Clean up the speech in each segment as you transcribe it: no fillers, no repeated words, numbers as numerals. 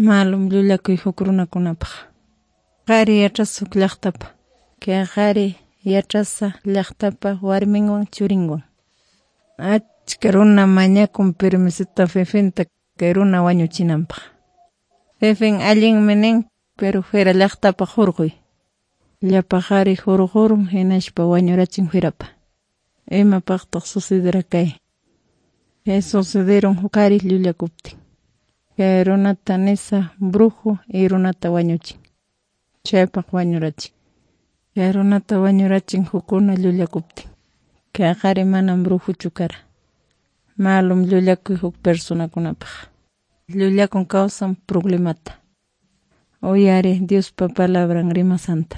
Malum llullakuy huk runakunapaq. Qhari yachasqa huk llaqtapa. Kay qhari yachasqa llaqtapa warminwan churinwan. Achka runa mañakun permisota jefenta kay runa wañuchinanpaq. Jefen allinmi nin, pero fuera llaqtapaq hurquy. Llapa qhari hurqurun hinaspa wañurachin fuerapa. Imapaqtaq sucedera kay? Kay sucederun huk qhari llullakuptin. Kay runata nisa brujo y runata wañuchin. Chaypaq wañurachin. Kay runata wañurachin hukuna llullakuptin. Kay qhari manam brujuchu kara. Malum llullakuy huk personakunapaq. Llullakun kawsan problemata. Uyari Diospa palabran rimasanta.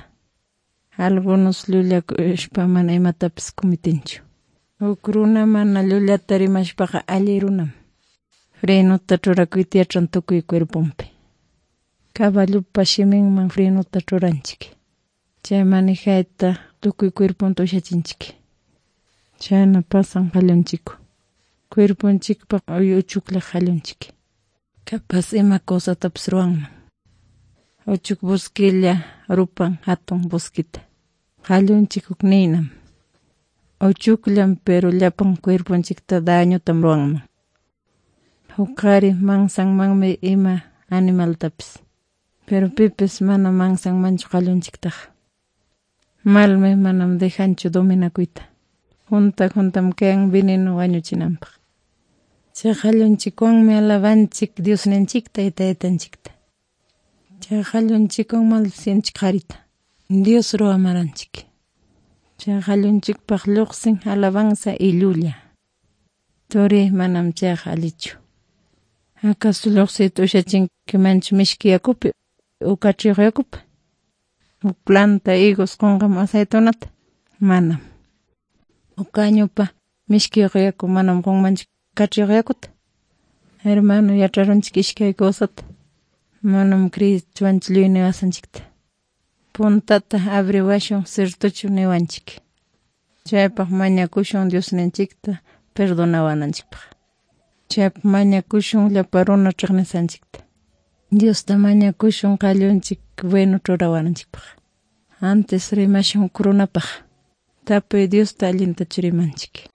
Algunos llullakushpa mana imatapis cometenchu. Huk runa mana llullata rimashpaqa alli runam. Frenota churakuyta yachan tukuy cuerponpi. Caballopa shiminman frenota churanchik. Chay manejayta tukuy cuerponta ushachinchik. Chayna pasan qallunchikwan. Cuerponchikpa uchuklla qallunchik. Capaz ima cosatapis ruwanman. Uchuk bosquilla rupan hatun bosquita. Qallunchik huk ninam. Uchukllam pero llapan cuerponchikta dañotam ruwanman. Huk qhari mansanmanmi ima animaltapis. Pero pipis mana mansanmanchu qallunchiktaqa. Malmi manam dejanchu dominakuyta. Junta juntam kayan veneno wañuchinanpaq. Chay qallunchikwanmi alabanchik Diosninchikta y taytanchikta. Chay qallunchikwan maldicinchik qharita. Dios ruwamaranchik. Chay qallunchikpaq lluqsin alabanza y llulla. Turi manam chayqa allichu. Acaso lluqsiyta ushachinkimanchu mishki yakupi o kachiyuq yakupi? Huk planta higos qunqam aceitunata? Manam. Huk cañupa mishkiyuq yaku manam qunmanchu kachiyuq yakuta. Hermano yacharunchik ishkay cosata. Manam creyichwanchu lluy niwasanchikta. Puntata abriwashun ciertochu niwanchik. Chaypaq mañakushun Diosninchikta perdonawananchikpaq. Chaypaq mañakushun llapa runa chiqnisanchikta. Diosta mañakushun qallunchik bueno churawananchikpaq. Antes rimashun huk runapaq. Tapuy Diosta allintachu rimanchik.